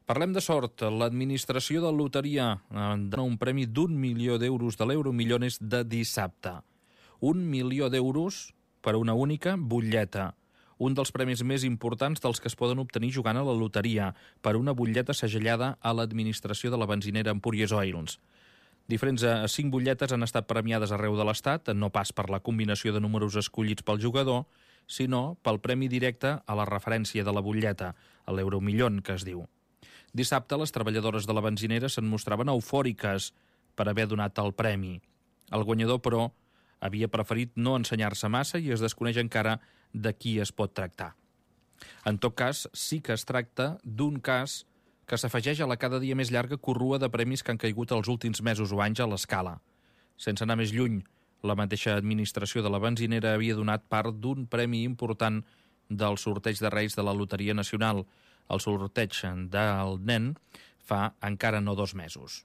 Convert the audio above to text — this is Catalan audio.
Parlem de sort. L'administració de loteria dona un premi d'1 milió d'euros de l'Euro Millones de dissabte. 1 milió d'euros per a una única butlleta. Un dels premis més importants dels que es poden obtenir jugant a la loteria, per una butlleta segellada a l'administració de la benzinera Empúries Oils. Diferents 5 butlletes han estat premiades arreu de l'Estat, no pas per la combinació de números escollits pel jugador, sinó pel premi directe a la referència de la butlleta, a l'Euromillón, que es diu. Dissabte, les treballadores de la benzinera se'n mostraven eufòriques per haver donat el premi. El guanyador, però, havia preferit no ensenyar-se massa i es desconeix encara de qui es pot tractar. En tot cas, sí que es tracta d'un cas que s'afegeix a la cada dia més llarga corrua de premis que han caigut els últims mesos o anys a l'escala. Sense anar més lluny, la mateixa administració de la benzinera havia donat part d'un premi important del sorteig de Reis de la Loteria Nacional, el sorteig del nen, fa encara no 2 mesos.